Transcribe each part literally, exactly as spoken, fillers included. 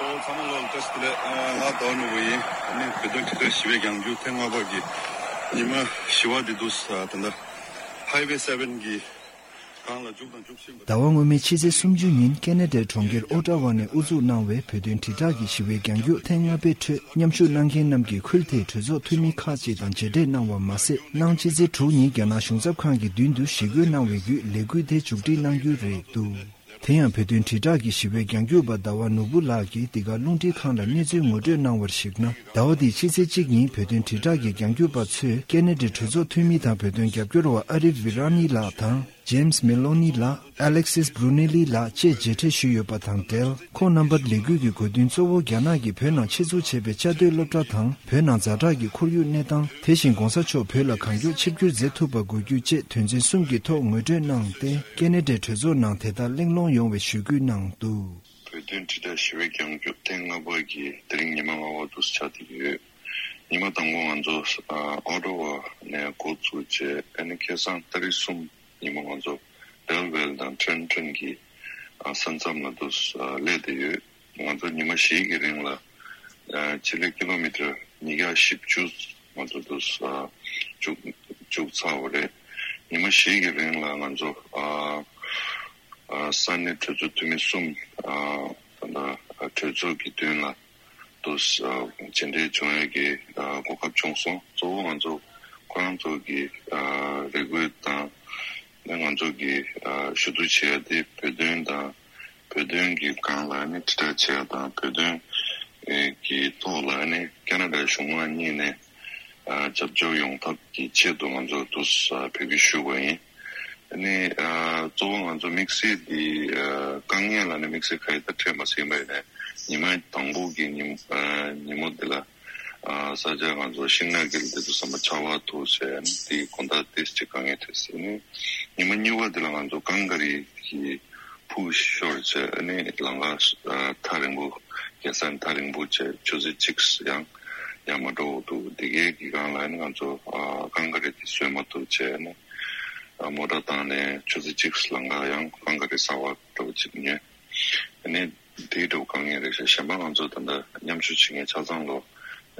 ཨོ་ཚང་མ་ལོ་བཀྲ་ཤིས་བདེ་ལེགས། ང་ཟླ་བ་ནོར་བུ་ཡིན། ཨ་ནི་བོད་དོན་ཁྲིམས་འགལ་ཞི་བའི་རྒྱང་རྒྱུག་ཐེངས་ལྔ་པ་གི་ཉི་མ་བཞི་པ་འདི་འདུག་ད་ལྟ་Highway seven གི་སྒང་ལ་རྒྱུག་དང་རྒྱུག་བཞིན་པ། ཟླ་བ་སྔོན་མའི་ཕྱི་ཚེས་སུམ་ཅུ་ཉིན་ཀེ་ན་ཌའི་གྲོང་ཁྱེར་ཨོ་ཊ་ཝ་ནས་དབུ་འཛུགས་གནང་བའི་བོད་དོན་དྲིལ་བསྒྲགས་ཀྱི་ཞི་བའི་རྒྱང་རྒྱུག་ཐེངས་ལྔ་པའི་ཁྲོད་མཉམ་ཞུགས་གནང་མཁན་རྣམས་ཀྱིས་ཁུལ་དེའི་གྲོས་ཚོགས་འཐུས་མི་ཁག་ཅིག་དང་མཇལ་འཕྲད་གནང་བ་མ་ཟད། གནངས་ཕྱི་ཚེས་དྲུག་ཉིན་རྒྱ་ནག་གཞུང་ཚབ་ཁང་གི་མདུན་དུ་ཞི་རྒོལ་གནང་བའི་བརྒྱུད་ལས་འགུལ་དེ་མཇུག་སྒྲིལ་གནང་རྒྱུ་རེད་འདུག་དེ་ཡང་བོད་དོན་དྲིལ་བསྒྲགས་ཀྱི་ཞི་བའི་རྒྱང་རྒྱུག་པ་ཟླ་བ་ནོར་བུ་ལགས་ཀྱིས་འདི་ག་རླུང་འཕྲིན་ཁང་ལ་གནས་ཚུལ་ངོ་སྤྲོད་གནང་བར་གཞིགས་ན། ཟླ་བ་འདིའི་ཕྱི་ཚེས་གཅིག་ཉིན་བོད་དོན་དྲིལ་བསྒྲགས་ཀྱི་རྒྱང་རྒྱུག་པ་ཚོས་ཀེ་ན་ཌའི་གྲོས་ཚོགས་འཐུས་མི་དང་བོད་དོན་རྒྱབ་སྐྱོར་བ་ཨ་རིབ་ཝི་ར་ནི་ལགས་དང་། ཇེམ་སི་མེ་ལོ་ནི་ལགས། ཨ་ལེག་སིས་བྷྲུ་ནེ་ལི་ལགས་བཅས་མཇལ་འཕྲད་ཞུས་ཡོད་པ་དང་འབྲེལ། ཁོང་རྣམ་པར་ལས་འགུལ་གྱི་དགོས་འདུན་གཙོ་བོ་རྒྱ་ནག་གིས་བོད་ནང་ཆེད་འཛུགས་བྱས་པའི་བཅའ་སྡོད་སློབ་གྲྭ་དང་བོད་ནང་ཛ་དྲག་གི་ཁོར་ཡུག་གནས་སྟངས། དེ་བཞིན་གོང་ས་མཆོག་བོད་ལ་གང་མགྱོགས་ཆིབས་བསྒྱུར་མཛད་ཐུབ་པ་དགོས་རྒྱུ་བཅས་དོན་ཚན་གསུམ་གྱི་ཐོག་ངོ་སྤྲོད་གནང་སྟེ། ཀེ་ན་ཌའི་གྲོས་ཚོགས་ནང་དེ་ལྟར་གླེང་སློང་ཡོང་བའི་ཞུ་སྐུལ་གནང་འདུག་བོད་དོན་དྲིལ་བསྒྲགས་ཞི་བའི་རྒྱང་རྒྱུག་ཐེངས་ལྔ་པ་གི་དེ་རིང་ཉི་མ་ལྔ་པ་དུ་ཆགས་བསྡད་ཡོད། ཉི་མ་དང་པོ་ང་ཚོ་ཨ་ཨོ་ཊ་ཝ་ནས་འགོ་བཙུགས་རྗེས། ཨ་ནི་ཁ་སང་ཏ་རིག་གསུམ་ཉི་མ་ང་ཚོ་སྦེལ་ཝེལ་དང་ཁྲེན་ཁྲེན་གྱི་ཨ་ས་མཚམས་ལ་དུ་ཨ་སླེབས་བསྡད་ཡོད། ང་ཚོ་ཉི་མ་བཞི་གི་རིང་ལ་ཨ་སྤྱི་ལེ་ཀི་ལོ་མི་ཊར་ཉིས་བརྒྱ་བཞི་བཅུ་ང་ཚོ་དུ་ཨ་བཅུག་བཅུག་ཚར་བ་རེད། ཉི་མ་བཞི་གི་རིང་ལ་ང་ཚོ་ཨ་ཨ་ས་གནས་གྲོས་ཚོགས་འཐུས་མི་གསུམ། ཨ་ད་ལྟ་ཨ་གྲོས་ཚོགས་ཀྱི་མདུན་ལ་དུ་ཨ་མཇལ་འཕྲད་བྱུང་ཡས་ཀྱི་ཨ་གོ་སྐབས་བྱུང་སོང་། གཙོ་བོ་ང་ཚོ་ཁོ་རང་ཚོ་གི་ཨ་རེ་སྐུལ་དང་། ང་ཚོ་གི་ཨ་ཞུ་གཏུག་བྱེད་ཡ་དེ་བོད་དོན་དང་། བོད་དོན་གྱི་སྒང་ལ་ནི་དྲིལ་བསྒྲགས་བྱེད་ཡ་དང་། བོད་དོན་གྱི་ཐོག་ལ་ནི་ཁ་ན་ཌ་གཞུང་མང་གཉིས་ནས་ཨ་རྒྱབ་སྐྱོར་ཡོང་ཐབས་ཀྱི་ཆེད་དུ་ང་ཚོ་དུ་ཨ་འབོད་སྐུལ་ཞུས་པ་ཡིན། ཨ་ནི་ཨ་གཙོ་བོ་ང་ཚོ་དམིགས་བསལ་འདི་ཨ་དཀའ་ངལ་ལ་ནི་དམིགས་བསལ་ག་ཡི་ད་འཕྲད་མ་ཟིན་པ་ཡིན་ནའི། ཉི་མ་དང་པོ་གི་ཉིན་ཨ་ཉིན་མོ་འདི་ལ་ཨ་ས་ཆ་ང་ཚོ་ཤིང་ནགས་ཀྱི་འདི་ཚོ་ཟམ་པ་ཆག་པ་ཐུག་བྱས། ཨ་ནི་དེའི་དགོང་དག་ཏོག་ཙམ་དཀའ་ངལ་འཕྲད་སོང་། ཨ་ནི་ཉི་མ་གཉིས་པ་འདི་ལ་ང་ཚོ་ཀང་ཀ་རི་གི་ཕུག་ཤོར་བྱས། ཨ་ནི་ལམ་ཁ་ཨ་ཐག་རིང་པོ། རྒྱལ་ས་ཐག་རིང་པོ་བྱས། ཆུ་ཚོད་གཅིག་ཡང་ཡང་མ་འགྲོ་འདུག་དེ་གའི་གི་སྒང་ལ་ནི་ང་ཚོ་ཨ་ཀང་ཀ་རི་དེ་བཟོས་མ་ཐུབ་བྱས། ཨ་ནི་ཨ་མོ་ཊ་བཏང་ནས་ཆུ་ཚོད་གཅིག་ལམ་ཁ་ཡང་ཀང་ཀ་རི་གསར་པ་འདྲ་པོ་ཅིག་ཉོས། ཨ་ནི་དེའི་འདྲ་པོ་དཀའ་ངལ་རེད་ཤག་གཞན་པ་ང་ཚོ་ད་ལྟ་མཉམ་ཞུགས་བྱེད་མཁན་ཆ་ཚང་ལོ་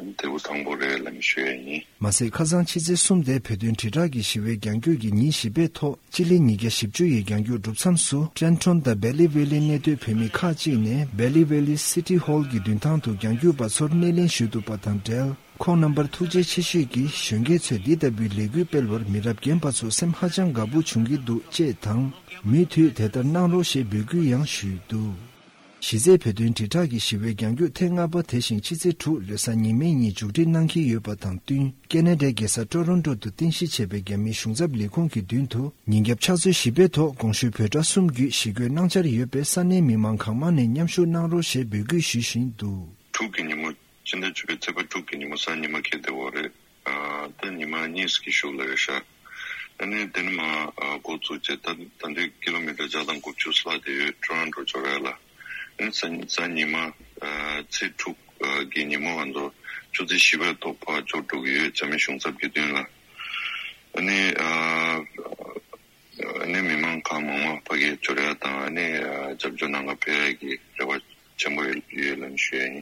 དེ་བོ་དང་པོ་རེད་ལབ་ནས་ཞུ་ཡ་ཡིན། མ་ཟད། ཁ་སང་ཕྱི་ཚེས་གསུམ་དེ་བོད་དོན་དྲིལ་བསྒྲགས་ཀྱི་ཞི་བའི་རྒྱང་རྒྱུག་གི་ཉིན་བཞི་པའི་ཐོག་སྤྱི་ལེ་ཉིས་བརྒྱ་བཞི་བཅུ་ཡི་རྒྱང་རྒྱུག་གྲུབ་མཚམས་སུ། ཀྲེན་ཁྲོན་དང་བེ་ལི་ཝེ་ལི་གནས་སྡོད་བོད་མི་ཁག་ཅིག་ནས་བེ་ལི་ཝེ་ལི་སི་ཊི་ཧོལ་གྱི་མདུན་ཐང་དུ་རྒྱང་རྒྱུག་པ་ཚོར་སྣེ་ལེན་ཞུས་འདུག་པ་དང་འབྲེལ། ཁོང་རྣམ་པར་ཐུགས་རྗེ་ཆེ་ཞུས་ཀྱིས། གཞོན་སྐྱེས་ཚོས་འདི་ལྟ་བུའི་ལས་འགུལ་སྤེལ་བར་མི་རབས་རྒན་པ་ཚོ་སེམས་ཧ་ཅང་དགའ་པོ་བྱུང་གི་འདུག་ཅེས་དང་། མུ་མཐུད་དེ་ལྟར་གནང་རོགས་ཞེས་འབོད་སྐུལ་ཡང་ཞུས་འདུག་གཞི་རྩའི་བོད་དོན་དྲིལ་བསྒྲགས་ཀྱི་ཞི་བའི་རྒྱང་རྒྱུག་ཐེངས་ལྔ་པ་དེ་བཞིན་ཕྱི་ཚེས་དྲུག་རེས་གཟའ་ཉི་མའི་ཉིན་མཇུག་སྒྲིལ་གནང་གི་ཡོད་པ་དང་བསྟུན། ཀེ་ན་ཌའི་རྒྱལ་ས་ཀྲོ་རོན་ཀྲོ་དུ་རྟེན་གཞི་བྱས་པའི་རྒྱ་མིའི་གཞུང་ཚབ་ལས་ཁུངས་ཀྱི་མདུན་དུ་ཉིན་རྒྱབ་ཕྱག་ཚོད་བཞི་པའི་ཐོག་གོང་ཞུས་བོད་དགྲ་གསུམ་བརྒྱུད་ཞི་རྒོལ་གནང་འཆར་ཡོད་པས། ས་གནས་མི་མང་གང་མང་ནས་མཉམ་ཞུགས་གནང་རོགས་ཞེས་འབོད་སྐུལ་ཞུ་བཞིན་འདུག་དྲུག་གི་ཉིན་མོ། སྤྱི་ཟླ་བཅུ་པའི་ཚེས་པ་དྲུག་གི་ཉིན་མོ་གཟའ་ཉི་མ་འཁེལ་བསྡད་ཡོད་རེད། ཨ་ད་ཉི་མ་གཉིས་ཀྱི་གཞུག་ལ་རེད་ཤག་ཨ་ནི་དེ་ནས་མར་ཨ་འགོ་བཙུགས་རྗེས་ད་ད་ལྟའི་ཀི་ལོ་མི་ཊར་བརྒྱ་དང་དགུ་བཅུ་ལྷག་བསྡད་ཡོད། ཀྲོ་རོན་ཀྲོ་འབྱོར་ཡ་ལ། ཨ་ནི་གཟའ་གཟའ་ཉི་མ་ཨ་ཚེས་དྲུག་ཨ་གི་ཉིན་མོ་ང་ཚོ་ཆུ་ཚོད་བཞི་པའི་ཐོག་ཕར་འབྱོར་འགྲོ་གི་ཡོད། རྒྱ་མི་གཞུང་ཚབ་ཀྱི་མདུན་ལ། ཨ་ནི་ཨ་ཨ་ནི་མི་མང་གང་མང་མང་ཕ་གིར་འབྱོར་ཡ་དང་། ཨ་ནི་ཨ་རྒྱབ་སྐྱོར་གནང་ག་ཕེབས་ཡ་གི་རེ་བ་ཆེན་པོ་ཡོད་ཡོད་ལབ་ནས་ཞུ་ཡ་ཡིན།